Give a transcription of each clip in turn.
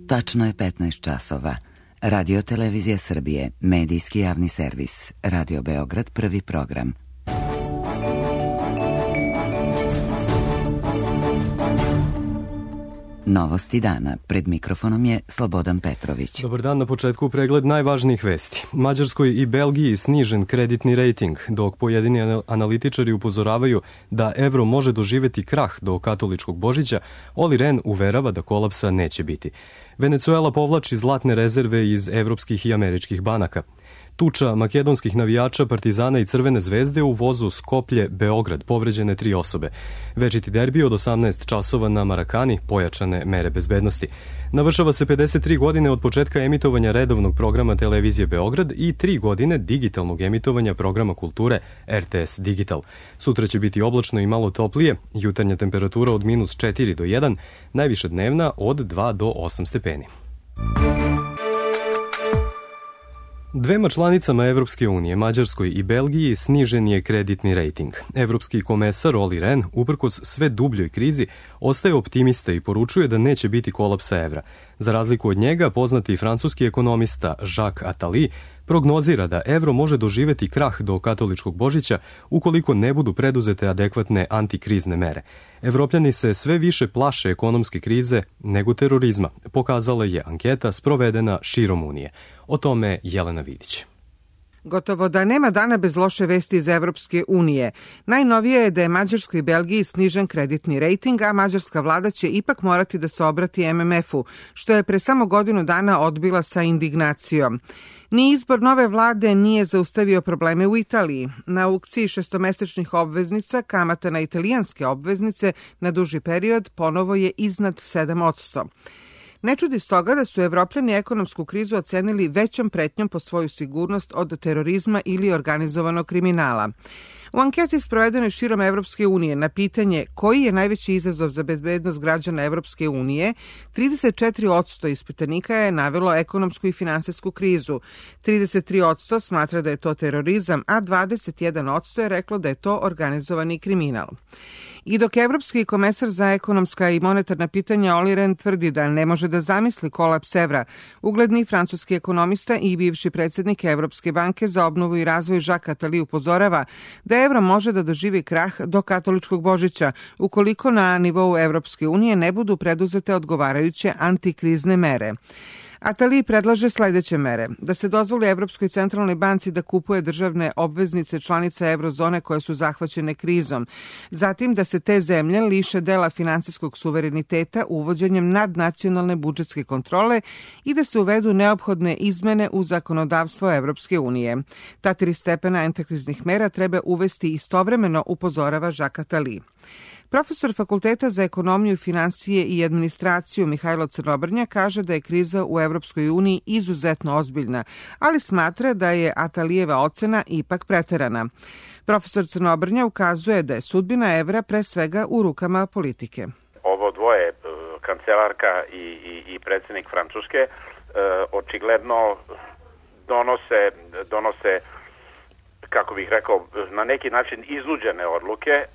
Tačno je 15 časova. Radio Televizija Srbije, medijski javni servis. Radio Beograd, prvi program. Novosti dana. Pred mikrofonom je Slobodan Petrović. Dobar dan, na početku pregled najvažnijih vesti. Mađarskoj i Belgiji snižen kreditni rejting, dok pojedini analitičari upozoravaju da evro može doživeti krah do katoličkog Božića, Olli Rehn uverava da kolapsa neće biti. Venecuela povlači zlatne rezerve iz evropskih i američkih banaka. Tuča makedonskih navijača Partizana i Crvene zvezde u vozu Skoplje-Beograd, povređene 3 osobe. Večiti derbi od 18 časova na Marakani, pojačane mere bezbednosti. Navršava se 53 godine od početka emitovanja redovnog programa Televizije Beograd i 3 godine digitalnog emitovanja programa kulture RTS Digital. Sutra će biti oblačno i malo toplije, jutarnja temperatura od -4 do 1, najviša dnevna od 2 do 8 stepeni. Dvema članicama Evropske unije, Mađarskoj i Belgiji, snižen je kreditni rejting. Evropski komesar Olli Rehn, uprkos sve dubljoj krizi, ostaje optimista i poručuje da neće biti kolapsa evra. Za razliku od njega, poznati francuski ekonomista Jacques Attali prognozira da evro može doživeti krah do katoličkog Božića ukoliko ne budu preduzete adekvatne antikrizne mere. Evropljani se sve više plaše ekonomske krize nego terorizma, pokazala je anketa sprovedena širom Unije. O tome Jelena Vidić. Gotovo da nema dana bez loše vesti iz Evropske unije. Najnovije je da je Mađarskoj i Belgiji snižen kreditni rejting, a mađarska vlada će ipak morati da se obrati MMF-u, što je pre samo godinu dana odbila sa indignacijom. Ni izbor nove vlade nije zaustavio probleme u Italiji. Na aukciji šestomesečnih obveznica kamata na italijanske obveznice na duži period ponovo je iznad 7%. Ne čudi stoga da su Evropljani ekonomsku krizu ocenili većom pretnjom po svoju sigurnost od terorizma ili organizovanog kriminala. U anketi sprovedenoj širom Evropske unije na pitanje koji je najveći izazov za bezbednost građana Evropske unije, 34% ispitanika je navelo ekonomsku i finansijsku krizu, 33% smatra da je to terorizam, a 21% je reklo da je to organizovani kriminal. I dok Evropski komesar za ekonomska i monetarna pitanja Olli Rehn tvrdi da ne može da zamisli kolaps evra, ugledni francuski ekonomista i bivši predsjednik Evropske banke za obnovu i razvoj Jacques Attali upozorava da evro može da doživi krah do katoličkog Božića ukoliko na nivou Evropske unije ne budu preduzete odgovarajuće antikrizne mere. Attali predlaže sledeće mere: da se dozvoli Evropskoj centralnoj banci da kupuje državne obveznice članica eurozone koje su zahvaćene krizom, zatim da se te zemlje liše dela finansijskog suvereniteta uvođenjem nadnacionalne budžetske kontrole i da se uvedu neophodne izmene u zakonodavstvo Evropske unije. Ta 3 stepena antikriznih mera treba uvesti istovremeno, upozorava Jacques Attali. Profesor Fakulteta za ekonomiju, finansije i administraciju Mihajlo Crnobrnja kaže da je kriza u Evropskoj uniji izuzetno ozbiljna, ali smatra da je Atalijeva ocena ipak preterana. Profesor Crnobrnja ukazuje da je sudbina evra pre svega u rukama politike. Ovo dvoje, kancelarka i predsjednik Francuske, očigledno donose, kako bih rekao, na neki način iznuđene odluke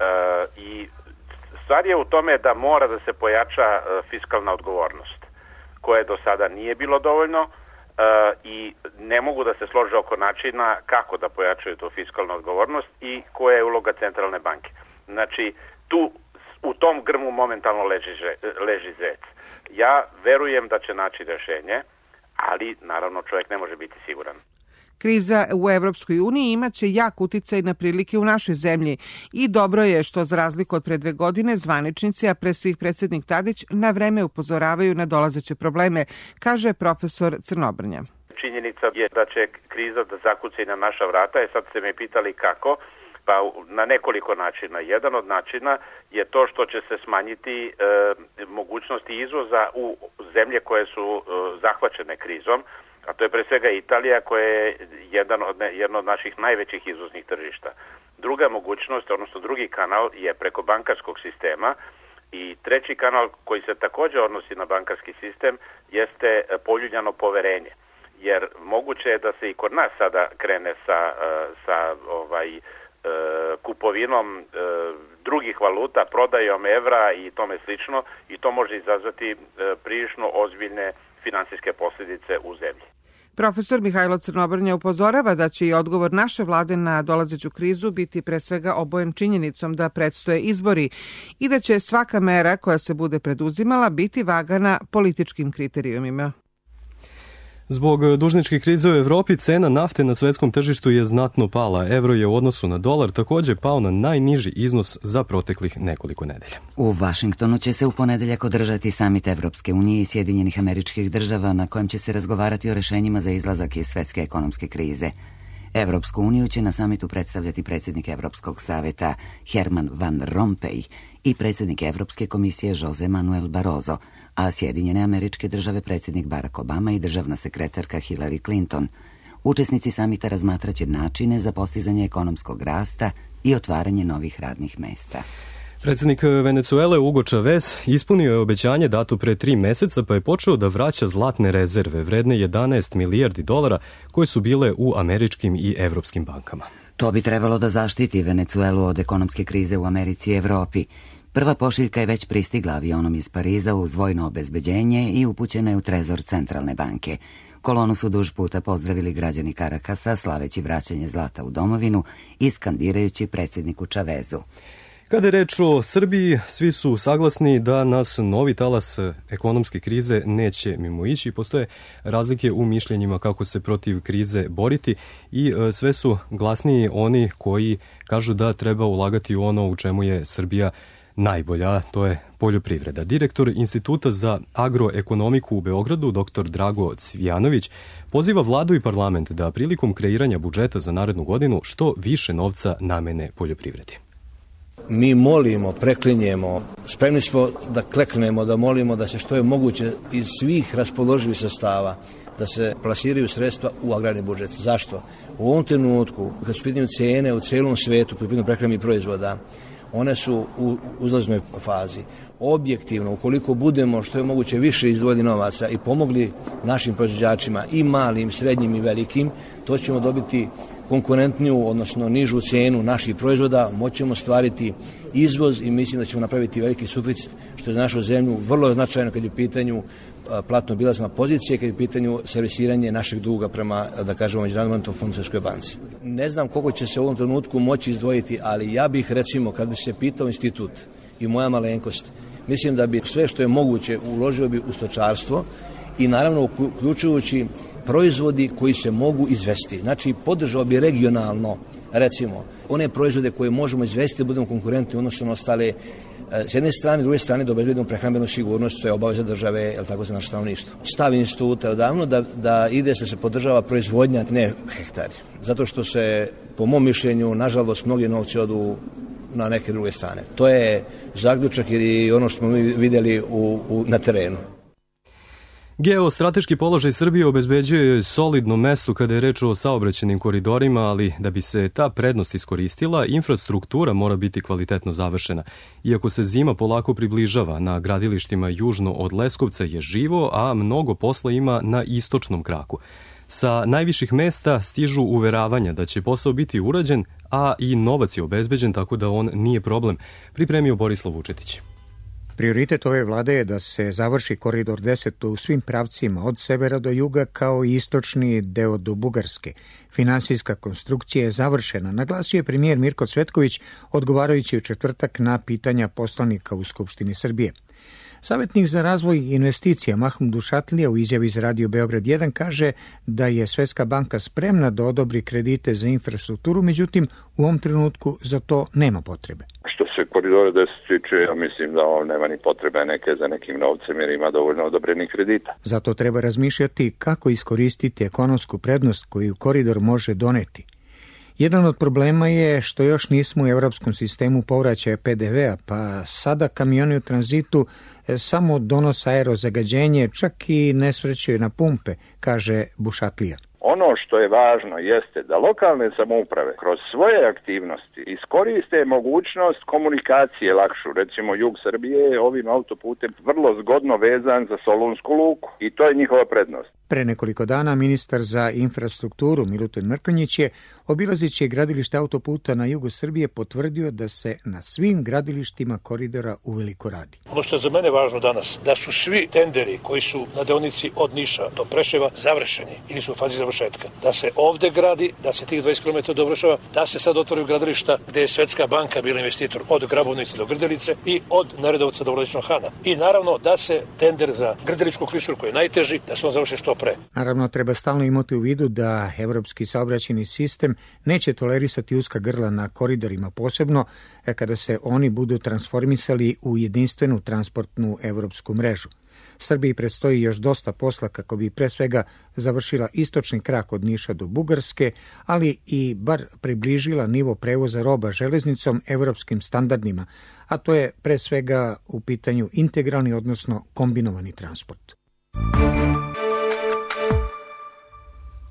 i stvar je u tome da mora da se pojača fiskalna odgovornost, koje do sada nije bilo dovoljno i ne mogu da se slože oko načina kako da pojačaju tu fiskalnu odgovornost i koja je uloga centralne banke. Znači, tu u tom grmu momentalno leži zec. Ja verujem da će naći rešenje, ali naravno čovjek ne može biti siguran. Kriza u Evropskoj uniji imaće jak uticaj na prilike u našoj zemlji i dobro je što, za razliku od pre 2 godine, zvaničnici, a pre svih predsjednik Tadić, na vreme upozoravaju na dolazeće probleme, kaže profesor Crnobrnja. Činjenica je da će kriza da zakuca i na naša vrata, sad ste me pitali kako, pa na nekoliko načina. Jedan od načina je to što će se smanjiti mogućnosti izvoza u zemlje koje su zahvaćene krizom, a to je pre svega Italija, koja je jedno od naših najvećih izvoznih tržišta. Druga mogućnost, odnosno drugi kanal, je preko bankarskog sistema i treći kanal koji se također odnosi na bankarski sistem jeste poljuljano poverenje. Jer moguće je da se i kod nas sada krene sa kupovinom drugih valuta, prodajom evra i tome slično, i to može izazvati prilično ozbiljne finansijske posljedice u zemlji. Profesor Mihajlo Crnobrnja upozorava da će i odgovor naše vlade na dolazeću krizu biti pre svega obojen činjenicom da predstoje izbori i da će svaka mera koja se bude preduzimala biti vagana političkim kriterijumima. Zbog dužničke krize u Evropi cena nafte na svetskom tržištu je znatno pala. Evro je u odnosu na dolar također pao na najniži iznos za proteklih nekoliko nedelja. U Vašingtonu će se u ponedeljak održati samit Evropske unije i Sjedinjenih Američkih Država na kojem će se razgovarati o rešenjima za izlazak iz svetske ekonomske krize. Evropsku uniju će na samitu predstavljati predsjednik Evropskog saveta Herman Van Rompuy i predsjednik Evropske komisije Jose Manuel Barroso, a Sjedinjene Američke Države predsjednik Barack Obama i državna sekretarka Hillary Clinton. Učesnici samita razmatraće načine za postizanje ekonomskog rasta i otvaranje novih radnih mesta. Predsjednik Venecuele Hugo Chavez ispunio je obećanje dato pre 3 meseca pa je počeo da vraća zlatne rezerve vredne 11 milijardi dolara koje su bile u američkim i evropskim bankama. To bi trebalo da zaštiti Venecuelu od ekonomske krize u Americi i Evropi. Prva pošiljka je već pristigla avionom iz Pariza uz vojno obezbeđenje i upućena je u trezor Centralne banke. Kolonu su duž puta pozdravili građani Karakasa, slaveći vraćanje zlata u domovinu i skandirajući predsjedniku Chavezu. Kada je reč o Srbiji, svi su saglasni da nas novi talas ekonomske krize neće mimoići. Postoje razlike u mišljenjima kako se protiv krize boriti i sve su glasniji oni koji kažu da treba ulagati u ono u čemu je Srbija najbolja, to je poljoprivreda. Direktor Instituta za agroekonomiku u Beogradu, dr. Drago Cvijanović, poziva vladu i parlament da prilikom kreiranja budžeta za narednu godinu što više novca namene poljoprivredi. Mi molimo, preklinjemo, spremni smo da kleknemo, da molimo da se što je moguće iz svih raspoloživih sredstava da se plasiraju sredstva u agrarni budžet. Zašto? U ovom trenutku, kad su pitanje cene u celom svetu, po pitanju prehrambenih proizvoda, one su u uzlaznoj fazi. Objektivno, ukoliko budemo što je moguće više izdvojili novaca i pomogli našim proizvođačima, i malim, srednjim i velikim, to ćemo dobiti konkurentniju, odnosno nižu cenu naših proizvoda, moćemo stvariti izvoz i mislim da ćemo napraviti veliki suficit, što je za našu zemlju vrlo značajno kad je u pitanju platno-bilazna pozicija, kad je u pitanju servisiranje našeg duga prema, da kažemo, Međunarodnom fondu Svjetskoj banci. Ne znam koliko će se u ovom trenutku moći izdvojiti, ali ja bih, recimo, kad bi se pitao institut i moja malenkost, mislim da bi sve što je moguće uložio bi u stočarstvo i naravno uključujući proizvodi koji se mogu izvesti. Znači, podržao bi regionalno, recimo, one proizvode koje možemo izvesti da budemo konkurentni odnosno na ostale, s jedne strane, s druge strane da obezbedimo prehrambenu sigurnost, to je obaveza države, jel tako, za naše stanovništvo. Stav instituta je odavno da ide da se podržava proizvodnja, ne hektari. Zato što se, po mom mišljenju, nažalost, mnogi novci odu na neke druge strane. To je zaključak i ono što smo mi vidjeli na terenu. Geostrateški položaj Srbije obezbeđuje solidno mesto kada je reč o saobraćajnim koridorima, ali da bi se ta prednost iskoristila, infrastruktura mora biti kvalitetno završena. Iako se zima polako približava, na gradilištima južno od Leskovca je živo, a mnogo posla ima na istočnom kraku. Sa najviših mesta stižu uveravanja da će posao biti urađen, a i novac je obezbeđen, tako da on nije problem, pripremio Borislav Vučetić. Prioritet ove vlade je da se završi koridor 10 u svim pravcima od severa do juga kao i istočni deo do Bugarske. Finansijska konstrukcija je završena, naglasio je premijer Mirko Cvetković odgovarajući u četvrtak na pitanja poslanika u Skupštini Srbije. Savjetnik za razvoj investicija Mahmud Dušatlija u izjavi za Radio Beograd 1 kaže da je Svetska banka spremna da odobri kredite za infrastrukturu, međutim u ovom trenutku za to nema potrebe. Što se koridora 10 tiče, ja mislim da on nema ni potrebe za nekim novcem jer ima dovoljno odobrenih kredita. Zato treba razmišljati kako iskoristiti ekonomsku prednost koju koridor može doneti. Jedan od problema je što još nismo u evropskom sistemu povraćaja PDV-a, pa sada kamioni u tranzitu samo donose aerozagađenje, čak i ne svrćaju na pumpe, kaže Bušatlija. Ono što je važno jeste da lokalne samouprave kroz svoje aktivnosti iskoriste mogućnost komunikacije lakšu. Recimo, jug Srbije je ovim autoputem vrlo zgodno vezan za Solunsku luku i to je njihova prednost. Pre nekoliko dana ministar za infrastrukturu Milutin Mrkonjić je, obilazeći gradilište autoputa na jugu Srbije, potvrdio da se na svim gradilištima koridora uveliko radi. Ono što je za mene važno danas, da su svi tenderi koji su na deonici od Niša do Preševa završeni ili su u fazi završetka. Da se ovde gradi, da se tih 20 km dovršava, da se sad otvaraju gradilišta gde je Svetska banka bila investitor od Grabovnice do Grdelice i od Neredovca do Vladičnog Hana. I naravno da se tender za Grdeličku klisuru koji je najteži, da se on završi što pre. Naravno, treba stalno imati u vidu da evropski saobraćajni sistem neće tolerisati uska grla na koridorima, posebno kada se oni budu transformisali u jedinstvenu transportnu evropsku mrežu. Srbiji predstoji još dosta posla kako bi pre svega završila istočni krak od Niša do Bugarske, ali i bar približila nivo prevoza roba železnicom evropskim standardima, a to je pre svega u pitanju integralni, odnosno kombinovani transport.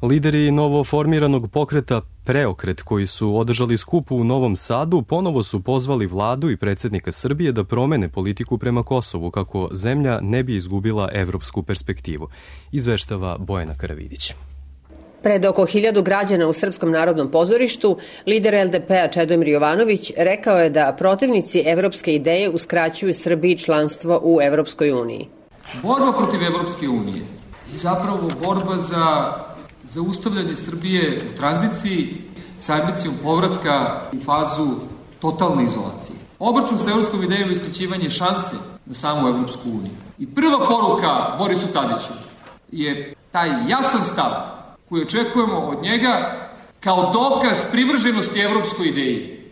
Lideri novoformiranog pokreta Preokret, koji su održali skup u Novom Sadu, ponovo su pozvali vladu i predsjednika Srbije da promene politiku prema Kosovu kako zemlja ne bi izgubila evropsku perspektivu, izveštava Bojana Karavidić. Pred oko 1000 građana u Srpskom narodnom pozorištu, lider LDP-a Čedomir Jovanović rekao je da protivnici evropske ideje uskraćuju Srbiji članstvo u Evropskoj uniji. Borba protiv Evropske unije je zapravo borba za zaustavljanje Srbije u tranziciji sa ambicijom povratka u fazu totalne izolacije. Obračun sa evropskom idejom je isključivanje šanse na samu Evropsku uniju. I prva poruka Borisu Tadiću je taj jasan stav koji očekujemo od njega kao dokaz privrženosti evropskoj ideji.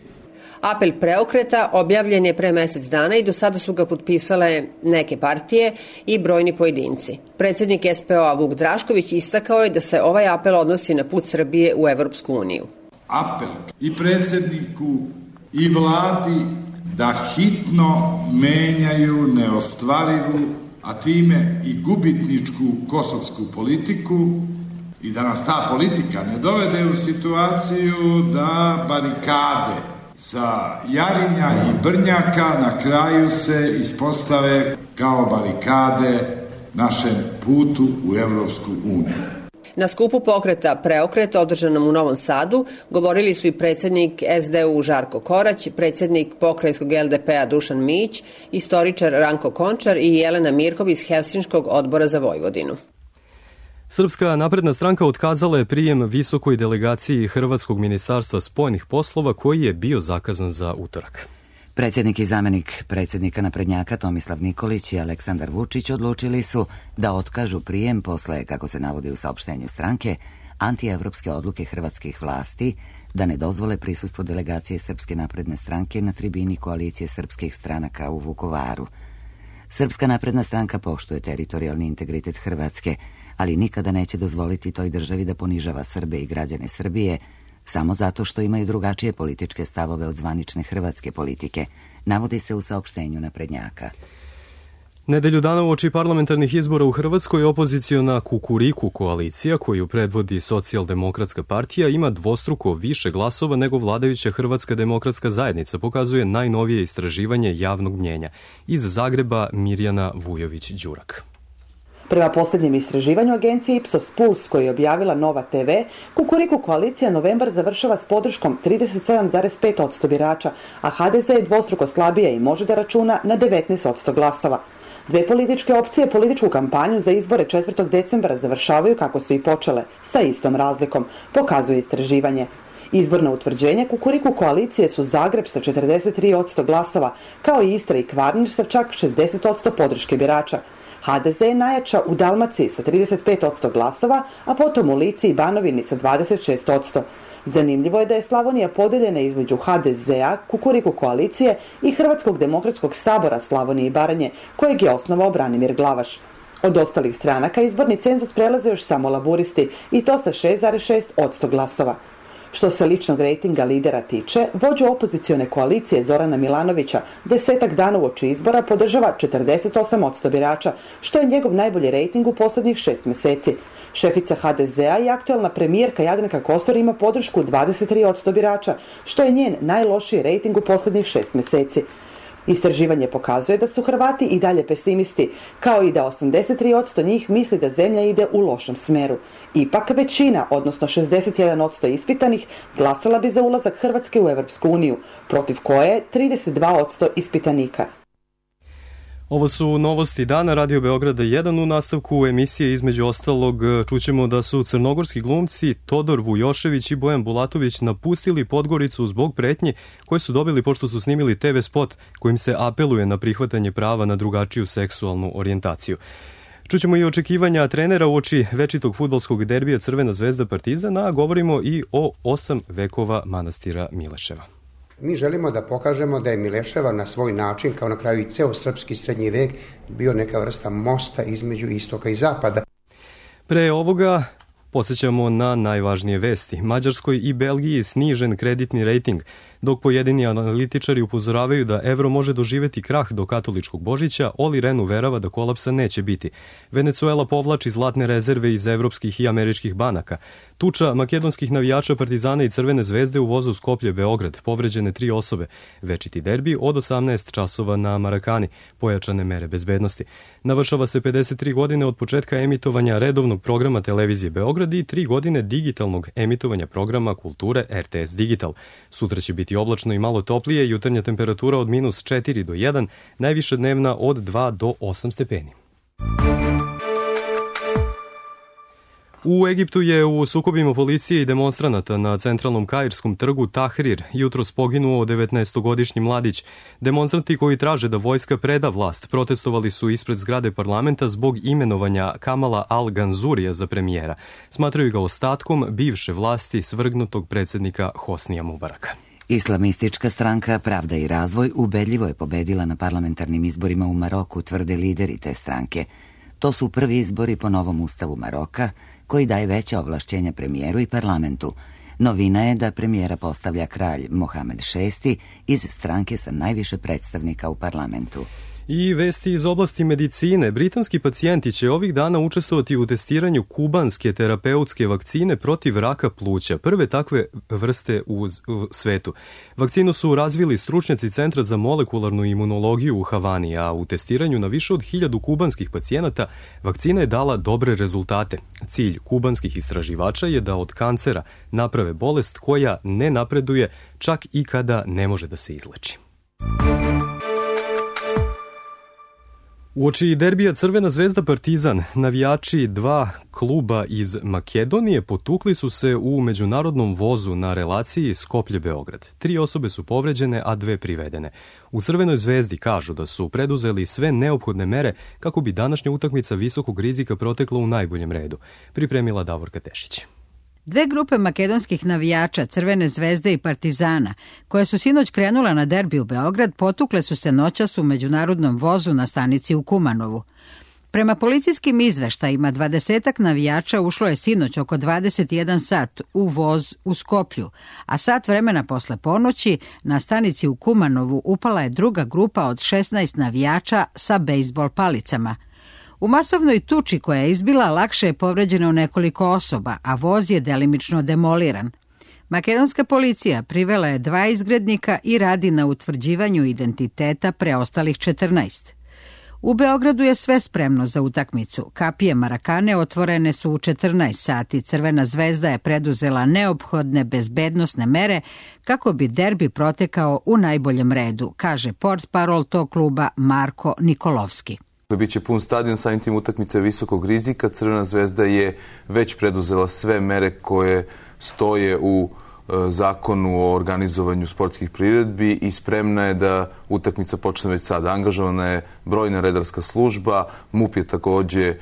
Apel Preokreta objavljen je pre mesec dana i do sada su ga potpisale neke partije i brojni pojedinci. Predsjednik SPO-a Vuk Drašković istakao je da se ovaj apel odnosi na put Srbije u Evropsku uniju. Apel i predsjedniku i vladi da hitno menjaju neostvarivu, a time i gubitničku kosovsku politiku i da nas ta politika ne dovede u situaciju da barikade sa Jarinja i Brnjaka na kraju se ispostave kao barikade našem putu u Evropsku uniju. Na skupu pokreta Preokret održanom u Novom Sadu govorili su i predsjednik SDU Žarko Korać, predsjednik pokrajinskog LDP-a Dušan Mić, istoričar Ranko Končar i Jelena Mirkov iz Helsinškog odbora za Vojvodinu. Srpska napredna stranka otkazala je prijem visokoj delegaciji Hrvatskog ministarstva spoljnih poslova koji je bio zakazan za utorak. Predsjednik i zamenik predsjednika naprednjaka Tomislav Nikolić i Aleksandar Vučić odlučili su da otkažu prijem posle, kako se navodi u saopštenju stranke, antievropske odluke hrvatskih vlasti da ne dozvole prisustvo delegacije Srpske napredne stranke na tribini koalicije srpskih stranaka u Vukovaru. Srpska napredna stranka poštuje teritorijalni integritet Hrvatske, ali nikada neće dozvoliti toj državi da ponižava Srbe i građane Srbije samo zato što imaju drugačije političke stavove od zvanične hrvatske politike, navodi se u saopštenju naprednjaka. Nedelju dana uoči parlamentarnih izbora u Hrvatskoj opoziciona Kukuriku koalicija, koju predvodi Socijaldemokratska partija, ima dvostruko više glasova nego vladajuća Hrvatska demokratska zajednica, pokazuje najnovije istraživanje javnog mnjenja. Iz Zagreba Mirjana Vujović-Đurak. Prema posljednjem istraživanju agencije Ipsos Puls, koji je objavila Nova TV, Kukuriku koalicija novembar završava s podrškom 37,5% birača, a HDZ je dvostruko slabija i može da računa na 19% glasova. Dve političke opcije političku kampanju za izbore 4. decembra završavaju kako su i počele, sa istom razlikom, pokazuje istraživanje. Izborno utvrđenje Kukuriku koalicije su Zagreb sa 43% glasova, kao i Istra i Kvarner sa čak 60% podrške birača. HDZ je najjača u Dalmaciji sa 35% glasova, a potom u Lici i Banovini sa 26%. Zanimljivo je da je Slavonija podeljena između HDZ-a, Kukuriku koalicije i Hrvatskog demokratskog sabora Slavonije i Baranje, kojeg je osnovao Branimir Glavaš. Od ostalih stranaka izborni cenzus prelaze još samo laburisti i to sa 6,6% glasova. Što se ličnog rejtinga lidera tiče, vođu opozicione koalicije Zorana Milanovića 10 dana uoči izbora podržava 48% birača, što je njegov najbolji rejting u posljednjih 6 meseci. Šefica HDZ-a i aktuelna premijerka Jadranka Kosor ima podršku 23% birača, što je njen najlošiji rejting u posljednjih 6 mjeseci. Istraživanje pokazuje da su Hrvati i dalje pesimisti, kao i da 83% njih misli da zemlja ide u lošem smeru. Ipak većina, odnosno 61% ispitanih, glasala bi za ulazak Hrvatske u Europsku uniju, protiv koje je 32% ispitanika. Ovo su novosti dana Radio Beograda 1. U nastavku emisije između ostalog čućemo da su crnogorski glumci Todor Vujošević i Bojan Bulatović napustili Podgoricu zbog pretnji koje su dobili pošto su snimili TV spot kojim se apeluje na prihvatanje prava na drugačiju seksualnu orijentaciju. Čućemo i očekivanja trenera uoči večitog fudbalskog derbija Crvena zvezda Partizan, a govorimo i o 8 vekova manastira Mileševa. Mi želimo da pokažemo da je Mileševa na svoj način, kao na kraju i ceo srpski srednji vek, bio neka vrsta mosta između istoka i zapada. Pre ovoga podsjećamo na najvažnije vesti. Mađarskoj i Belgiji snižen kreditni rejting, dok pojedini analitičari upozoravaju da evro može doživeti krah do katoličkog Božića, Oli Ren uverava da kolapsa neće biti. Venecuela povlači zlatne rezerve iz evropskih i američkih banaka. Tuča makedonskih navijača Partizana i Crvene zvezde u vozu Skoplje-Beograd, povređene 3 osobe. Večiti derbi od 18 časova na Marakani, pojačane mere bezbednosti. Navršava se 53 godine od početka emitovanja redovnog programa televizije Beograd i 3 godine digitalnog emitovanja programa kulture RTS Digital. Sutra će biti oblačno i malo toplije, jutarnja temperatura od -4 do 1, najviša dnevna od 2 do 8 stepeni. U Egiptu je u sukobima policije i demonstranata na centralnom kairskom trgu Tahrir jutros poginuo 19-godišnji mladić. Demonstranti koji traže da vojska preda vlast protestovali su ispred zgrade parlamenta zbog imenovanja Kamala Al-Ganzurija za premijera. Smatraju ga ostatkom bivše vlasti svrgnutog predsjednika Hosnija Mubaraka. Islamistička stranka Pravda i razvoj ubedljivo je pobedila na parlamentarnim izborima u Maroku, tvrde lideri te stranke. To su prvi izbori po novom ustavu Maroka, koji daje veća ovlašćenja premijeru i parlamentu. Novina je da premijera postavlja kralj Mohamed VI iz stranke sa najviše predstavnika u parlamentu. I vesti iz oblasti medicine. Britanski pacijenti će ovih dana učestvovati u testiranju kubanske terapeutske vakcine protiv raka pluća, prve takve vrste u svetu. Vakcinu su razvili stručnjaci Centra za molekularnu imunologiju u Havani, a u testiranju na više od 1000 kubanskih pacijenata vakcina je dala dobre rezultate. Cilj kubanskih istraživača je da od kancera naprave bolest koja ne napreduje čak i kada ne može da se izleči. Uoči derbija Crvena zvezda Partizan, navijači 2 kluba iz Makedonije potukli su se u međunarodnom vozu na relaciji Skoplje-Beograd. 3 osobe su povređene, a 2 privedene. U Crvenoj zvezdi kažu da su preduzeli sve neophodne mere kako bi današnja utakmica visokog rizika protekla u najboljem redu. Pripremila Davorka Tešić. 2 grupe makedonskih navijača, Crvene zvezde i Partizana, koje su sinoć krenula na derbi u Beograd, potukle su se noćas u međunarodnom vozu na stanici u Kumanovu. Prema policijskim izveštajima, 20-ak navijača ušlo je sinoć oko 21 sat u voz u Skoplju, a sat vremena posle ponoći na stanici u Kumanovu upala je druga grupa od 16 navijača sa bejzbol palicama. U masovnoj tuči koja je izbila lakše je povređeno nekoliko osoba, a voz je delimično demoliran. Makedonska policija privela je 2 izgrednika i radi na utvrđivanju identiteta preostalih 14. U Beogradu je sve spremno za utakmicu. Kapije Marakane otvorene su u 14 sati. Crvena zvezda je preduzela neophodne bezbednosne mere kako bi derbi protekao u najboljem redu, kaže portparol tog kluba Marko Nikolovski. Biće pun stadion, samim tim utakmice visokog rizika. Crvena zvezda je već preduzela sve mere koje stoje u zakonu o organizovanju sportskih priredbi i spremna je da utakmica počne već sada. Angažovana je brojna redarska služba, MUP je takođe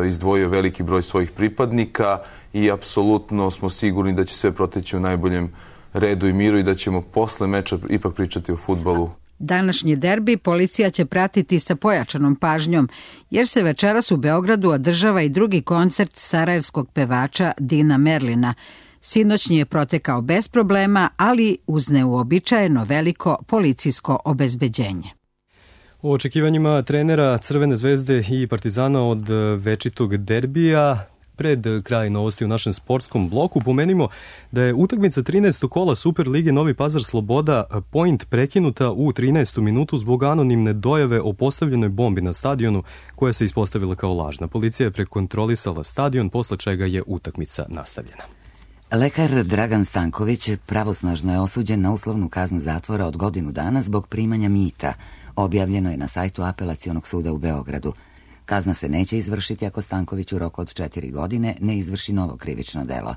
izdvojio veliki broj svojih pripadnika i apsolutno smo sigurni da će sve proteći u najboljem redu i miru i da ćemo posle meča ipak pričati o fudbalu. Današnji derbi policija će pratiti sa pojačanom pažnjom, jer se večeras u Beogradu održava i drugi koncert sarajevskog pevača Dina Merlina. Sinoćnji je protekao bez problema, ali uz neuobičajeno veliko policijsko obezbeđenje. U očekivanjima trenera Crvene zvezde i Partizana od večitog derbija Pred kraj novosti u našem sportskom bloku pomenimo da je utakmica 13. kola Super lige Novi Pazar Sloboda Point prekinuta u 13. minutu zbog anonimne dojave o postavljenoj bombi na stadionu koja se ispostavila kao lažna. Policija je prekontrolisala stadion, posle čega je utakmica nastavljena. Lekar Dragan Stanković pravosnažno je osuđen na uslovnu kaznu zatvora od godinu dana zbog primanja mita. Objavljeno je na sajtu Apelacionog suda u Beogradu. Kazna se neće izvršiti ako Stanković u roku od 4 godine ne izvrši novo krivično delo.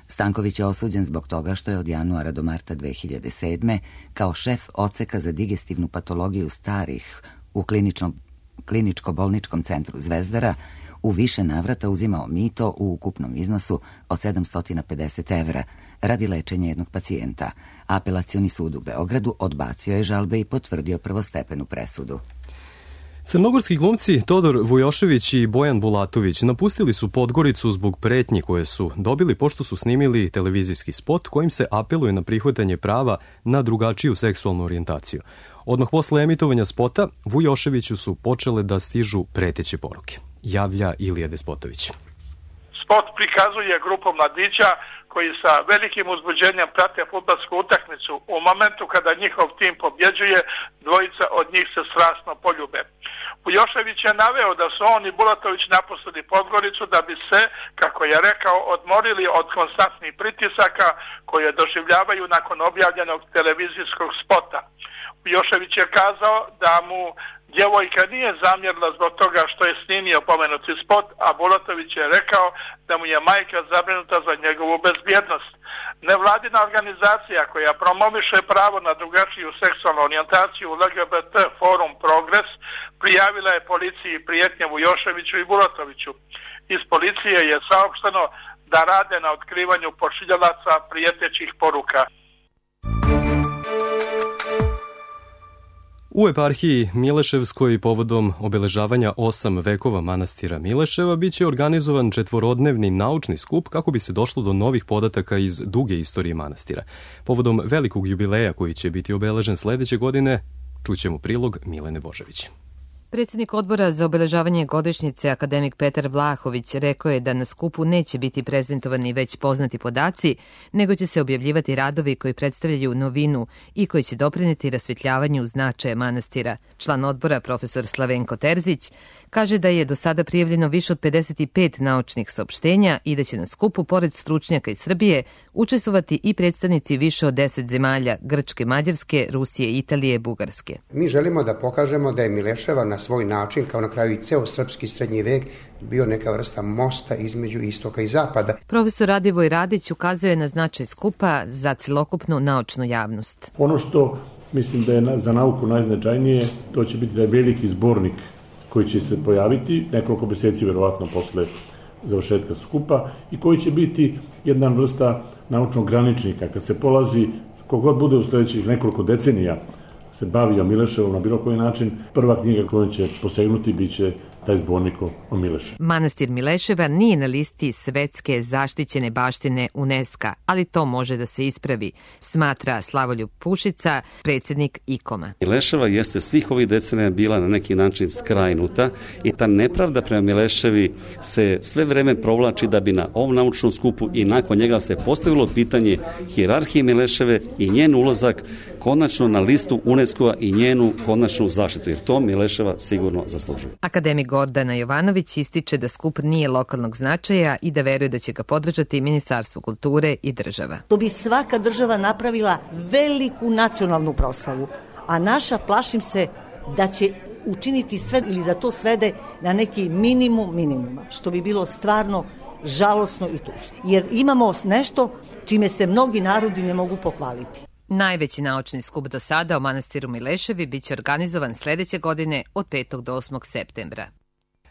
Stanković je osuđen zbog toga što je od januara do marta 2007. kao šef odseka za digestivnu patologiju starih u kliničko-bolničkom centru Zvezdara u više navrata uzimao mito u ukupnom iznosu od 750 evra radi lečenja jednog pacijenta. Apelacioni sud u Beogradu odbacio je žalbe i potvrdio prvostepenu presudu. Crnogorski glumci Todor Vujošević i Bojan Bulatović napustili su Podgoricu zbog pretnji koje su dobili pošto su snimili televizijski spot kojim se apeluje na prihvatanje prava na drugačiju seksualnu orijentaciju. Odmah posle emitovanja spota Vujoševiću su počele da stižu preteće poruke. Javlja Ilija Despotović. Spot prikazuje grupu mladića koji sa velikim uzbuđenjem prate fudbalsku utakmicu. U momentu kada njihov tim pobjeđuje, dvojica od njih se strasno poljube. Vujošević je naveo da su on i Bulatović napustili Podgoricu da bi se, kako je rekao, odmorili od konstantnih pritisaka koje doživljavaju nakon objavljenog televizijskog spota. Vujošević je kazao da mu djevojka nije zamjerila zbog toga što je snimio pomenuti spot, a Bulatović je rekao da mu je majka zabrinuta za njegovu bezbjednost. Nevladina organizacija koja promoviše pravo na drugačiju seksualnu orijentaciju LGBT Forum Progres prijavila je policiji prijetnje Vujoševiću i Bulatoviću. Iz policije je saopšteno da rade na otkrivanju pošiljalaca prijetećih poruka. U eparhiji Mileševskoj povodom obeležavanja 8 vekova manastira Mileševa biće organizovan 4-dnevni naučni skup kako bi se došlo do novih podataka iz duge istorije manastira. Povodom velikog jubileja koji će biti obeležen sledeće godine, čućemo prilog Milene Božević. Predsjednik odbora za obeležavanje godišnjice akademik Petar Vlahović rekao je da na skupu neće biti prezentovani već poznati podaci, nego će se objavljivati radovi koji predstavljaju novinu i koji će doprineti rasvetljavanju značaja manastira. Član odbora, profesor Slavenko Terzić, kaže da je do sada prijavljeno više od 55 naučnih saopštenja i da će na skupu, pored stručnjaka iz Srbije, učestvovati i predstavnici više od 10 zemalja, Grčke, Mađarske, Rusije, Italije, Bugarske. Mi želimo da pokažemo da je Mileševa na svoj način, kao na kraju i ceo srpski srednji vek, bio neka vrsta mosta između istoka i zapada. Profesor Radivoj Radić ukazuje na značaj skupa za celokupnu naučnu javnost. Ono što mislim da je za nauku najznačajnije, to će biti da je veliki zbornik koji će se pojaviti nekoliko meseci verovatno posle završetka skupa i koji će biti jedna vrsta naučnog graničnika. Kad se polazi, kogod bude u sledećih nekoliko decenija se bavio Mileševom na bilo koji način, prva knjiga koju će posegnuti biće taj zbornik o Mileševu. Manastir Mileševa nije na listi svetske zaštićene baštine UNESCO-a, ali to može da se ispravi, smatra Slavoljub Pušica, predsjednik IKOM-a. Mileševa jeste svih ovih decenija bila na neki način skrajnuta i ta nepravda prema Mileševi se sve vreme provlači da bi na ovom naučnom skupu i nakon njega se postavilo pitanje hijerarhije Mileševe i njen ulazak konačno na listu UNESCO-a i njenu konačnu zaštitu, jer to Mileševa sigurno zaslužuje. Akademik Gordana Jovanović ističe da skup nije lokalnog značaja i da veruje da će ga podržati Ministarstvo kulture i država. To bi svaka država napravila veliku nacionalnu proslavu, a naša, plašim se, da će učiniti sve ili da to svede na neki minimum minimuma, što bi bilo stvarno žalosno i tužno. Jer imamo nešto čime se mnogi narodi ne mogu pohvaliti. Najveći naučni skup do sada o manastiru Mileševi biće organizovan sledeće godine od 5. do 8. septembra.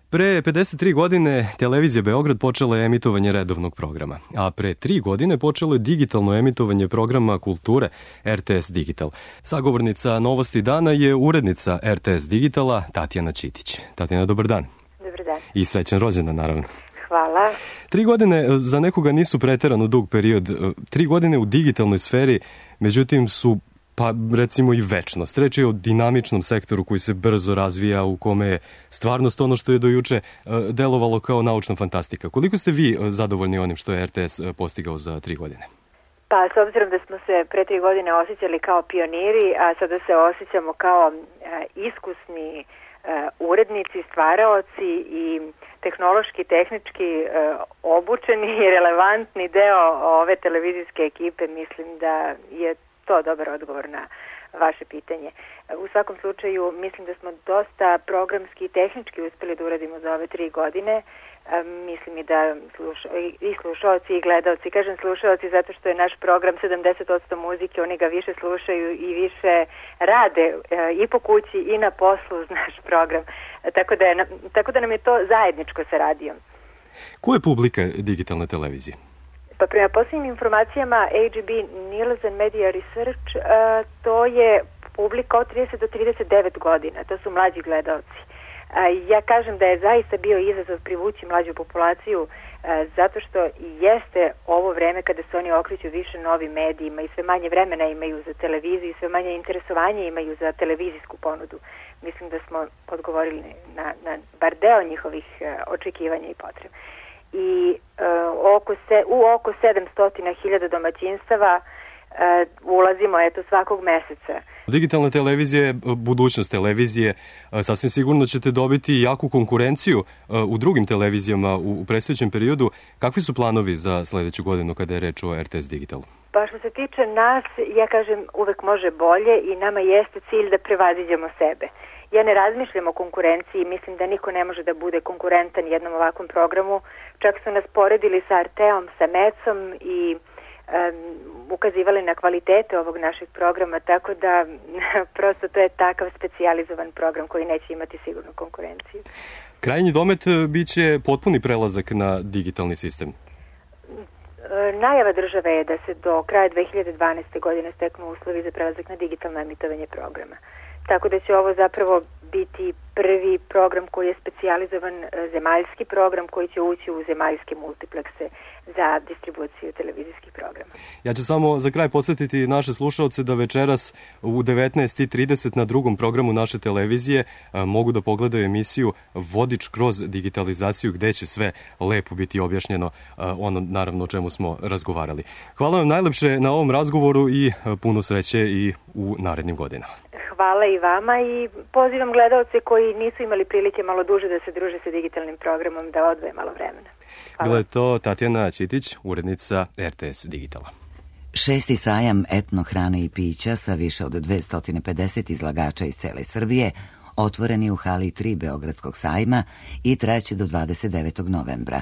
Pre 53 godine televizija Beograd počela je emitovanje redovnog programa, a pre 3 godine počelo je digitalno emitovanje programa kulture RTS Digital. Sagovornica Novosti dana je urednica RTS Digitala Tatjana Ćitić. Tatjana, dobar dan. Dobar dan. I srećan rođendan, naravno. Hvala. 3 godine za nekoga nisu preterano dug period. 3 godine u digitalnoj sferi, međutim, su pa recimo i večnost. Reč je o dinamičnom sektoru koji se brzo razvija, u kome je stvarnost ono što je do juče delovalo kao naučna fantastika. Koliko ste vi zadovoljni onim što je RTS postigao za 3 godine? Pa s obzirom da smo se pre 3 godine osjećali kao pioniri, a sada se osjećamo kao iskusni urednici, stvaraoci i tehnološki, tehnički obučeni i relevantni deo ove televizijske ekipe, mislim da je to dobar odgovor na vaše pitanje. U svakom slučaju mislim da smo dosta programski i tehnički uspeli da uradimo za ove 3 godine. Mislim i da i slušaoci i gledalci, kažem slušaoci zato što je naš program 70% muzike, oni ga više slušaju i više rade i po kući i na poslu uz naš program. Tako da nam je to zajedničko sa radijom. Ko je publika digitalne televizije? Pa prema posljednjim informacijama AGB Nielsen Media Research, to je publika od 30 do 39 godina, to su mlađi gledalci. Ja kažem da je zaista bio izazov privući mlađu populaciju zato što jeste ovo vreme kada se oni okreću više novim medijima i sve manje vremena imaju za televiziju i sve manje interesovanje imaju za televizijsku ponudu. Mislim da smo odgovorili na bar deo njihovih očekivanja i potreba. I u oko 700.000 domaćinstava ulazimo svakog meseca. Digitalna televizija je budućnost televizije. Sasvim sigurno ćete dobiti jaku konkurenciju u drugim televizijama u predstojećem periodu. Kakvi su planovi za sledeću godinu kada je reč o RTS Digitalu? Pa što se tiče nas, ja kažem uvek može bolje i nama jeste cilj da prevaziđemo sebe. Ja ne razmišljam o konkurenciji, mislim da niko ne može da bude konkurentan jednom ovakvom programu. Čak su nas poredili sa RT-om, sa MEC-om i ukazivali na kvalitete ovog našeg programa, tako da prosto to je takav specijalizovan program koji neće imati sigurnu konkurenciju. Krajnji domet biće potpuni prelazak na digitalni sistem. Najava države je da se do kraja 2012. godine steknu uslovi za prelazak na digitalno emitovanje programa. Tako da će ovo zapravo biti prvi program koji je specijalizovan, zemaljski program koji će ući u zemaljske multiplekse za distribuciju televizijskih programa. Ja ću samo za kraj podsjetiti naše slušalce da večeras u 19:30 na drugom programu naše televizije mogu da pogledaju emisiju Vodič kroz digitalizaciju, gde će sve lepo biti objašnjeno, ono naravno o čemu smo razgovarali. Hvala vam najlepše na ovom razgovoru i puno sreće i u narednim godinama. Hvala i vama i pozivam gledalce koji nisu imali prilike malo duže da se druže sa digitalnim programom da odvoje malo vremena. Hvala. Bila je to Tatjana Ćitić, urednica RTS Digitala. 6. sajam etno hrane i pića sa više od 250 izlagača iz cele Srbije otvoren je u hali 3 Beogradskog sajma i trajaće do 29. novembra.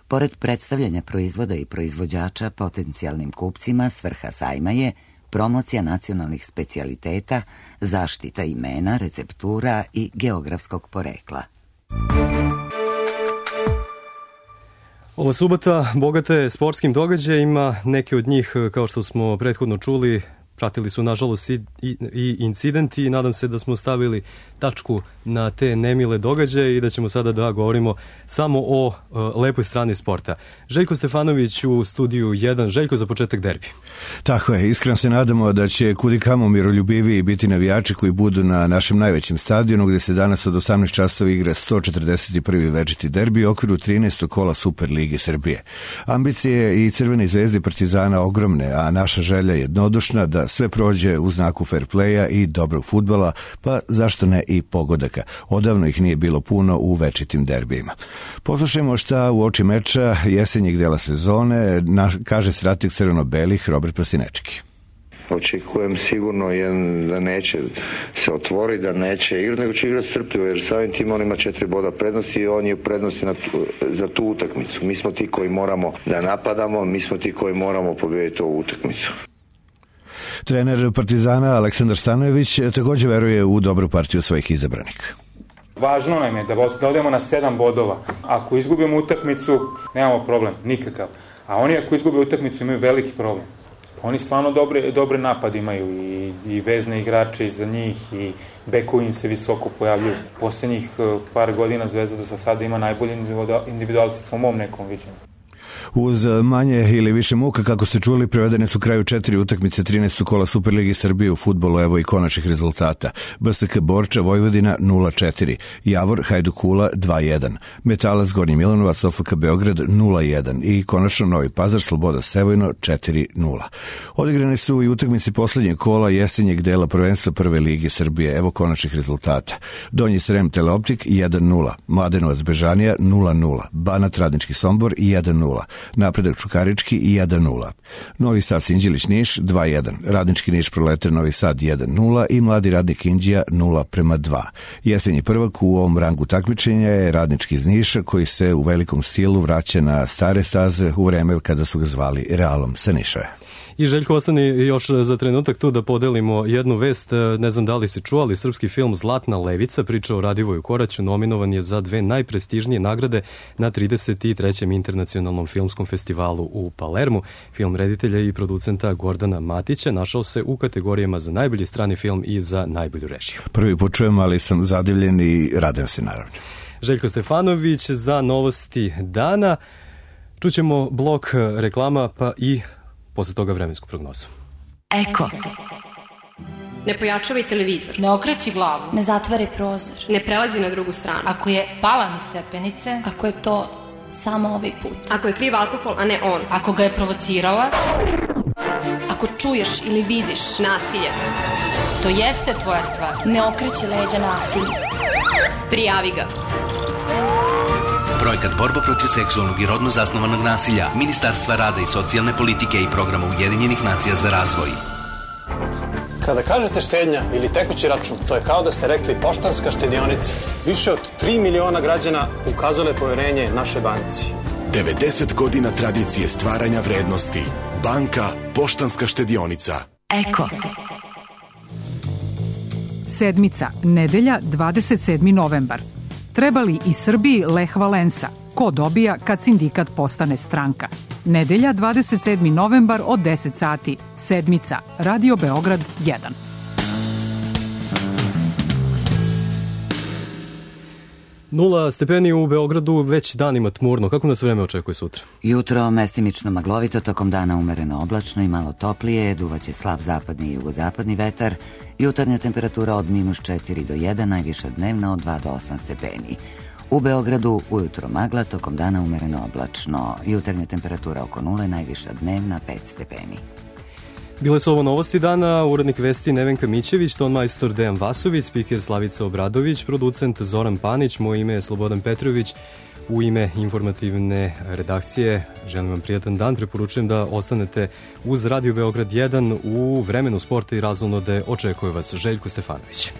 Pored predstavljanja proizvoda i proizvođača potencijalnim kupcima, svrha sajma je promocija nacionalnih specijaliteta, zaštita imena, receptura i geografskog porekla. Ova subota bogata je sportskim događajima, neke od njih, kao što smo prethodno čuli, pratili su nažalost i incidenti i nadam se da smo stavili tačku na te nemile događaje i da ćemo sada da govorimo samo o lepoj strani sporta. Željko Stefanović u studiju 1. Željko, za početak derbi. Tako je, iskreno se nadamo da će kudikamo miroljubiviji biti navijači koji budu na našem najvećem stadionu gde se danas od 18 časova igra 141. večiti derbi u okviru 13. kola Super Lige Srbije. Ambicije i Crvene zvezde Partizana ogromne, a naša želja je jednodušna da sve prođe u znaku fair playa i dobrog fudbala, pa zašto ne i pogodaka. Odavno ih nije bilo puno u večitim derbijima. Poslušajmo šta u oči meča jesenjeg dela sezone kaže strateg crveno-belih Robert Prosinečki. Očekujem sigurno da neće se otvori, da neće igrati, nego će igrati strpljivo, jer samim tim on ima 4 boda prednosti i on je u prednosti za tu utakmicu. Mi smo ti koji moramo da napadamo, mi smo ti koji moramo pobijediti ovu utakmicu. Trener Partizana Aleksandar Stanojević također veruje u dobru partiju svojih izabranika. Važno nam je da odemo na 7 bodova. Ako izgubimo utakmicu, nemamo problem, nikakav. A oni ako izgube utakmicu imaju veliki problem. Oni stvarno dobre napad imaju i vezne igrače iza njih i bekovi im se visoko pojavljuju. Posljednjih par godina Zvezda do sada ima najbolji individualci po mom nekom viđenju. Uz manje ili više muka, kako ste čuli, prevedene su kraju 4 utakmice 13. kola Superligi Srbije u fudbalu, evo i konačnih rezultata. BSK Borča Vojvodina 0-4, Javor Hajduk Kula 2-1, Metalac Gornji Milanovac OFK Beograd 0-1 i konačno Novi Pazar Sloboda Sevojno 4-0. Odigrane su i utakmice poslednjeg kola jesenjeg dela prvenstva Prve Lige Srbije, evo konačnih rezultata. Donji Srem Teleoptik 1-0, Mladenovac Bežanija 0-0, Banat Radnički Sombor 1-0, Napredak Čukarički 1-0, Novi Sad Sinđelić Niš 2-1, Radnički Niš Proletar Novi Sad 1-0 i Mladi Radnik Inđija 0-2. Jesenji prvak u ovom rangu takmičenja je Radnički iz Niša, koji se u velikom stilu vraća na stare staze u vreme kada su ga zvali Realom sa Nišave. I Željko, ostani još za trenutak tu da podelimo jednu vest. Ne znam da li si čuo, ali srpski film Zlatna levica, priča o Radivoju Koraću, nominovan je za 2 najprestižnije nagrade na 33. internacionalnom filmskom festivalu u Palermu. Film reditelja i producenta Gordana Matića našao se u kategorijama za najbolji strani film i za najbolju režiju. Prvi put čujem, ali sam zadivljen i radujem se naravno. Željko Stefanović za novosti dana. Čućemo blok reklama pa i posle toga vremensku prognozu. Eko. Ne pojačavaj televizor. Ne okreći glavu. Ne zatvari prozor. Ne prelazi na drugu stranu. Ako je pala niz stepenice. Ako je to samo ovaj put. Ako je kriv alkohol, a ne on. Ako ga je provocirala. Ako čuješ ili vidiš nasilje. To jeste tvoja stvar. Ne okreći leđa nasilju. Prijavi ga. Projekat Borba protiv seksualnog i rodno zasnovanog nasilja Ministarstva rada i socijalne politike i programa Ujedinjenih nacija za razvoj. Kada kažete štednja ili tekući račun, to je kao da ste rekli Poštanska štedionica. Više od 3 miliona građana ukazalo je poverenje našoj banci. 90 godina tradicije stvaranja vrednosti. Banka Poštanska štedionica. Eko. Sedmica, nedelja, 27. novembar. Treba li i Srbiji Lech Valensa? Ko dobija kad sindikat postane stranka? Nedelja, 27. novembar od 10 sati. Sedmica, Radio Beograd 1. Nula stepeni u Beogradu, već danima tmurno. Kako nas vreme očekuje sutra? Jutro mestimično maglovito, tokom dana umereno oblačno i malo toplije, duvaće slab zapadni i jugozapadni vetar, jutarnja temperatura od -4 do 1, najviša dnevna od 2 do 8 stepeni. U Beogradu ujutro magla, tokom dana umereno oblačno, jutarnja temperatura oko 0, najviša dnevna 5 stepeni. Bile su ovo novosti dana, urednik vesti Nevenka Mićević, ton majstor Dejan Vasović, spiker Slavica Obradović, producent Zoran Panić, moje ime je Slobodan Petrović. U ime informativne redakcije želim vam prijatan dan, preporučujem da ostanete uz Radio Beograd 1 u vremenu sporta i razonode. Očekuje vas Željko Stefanović.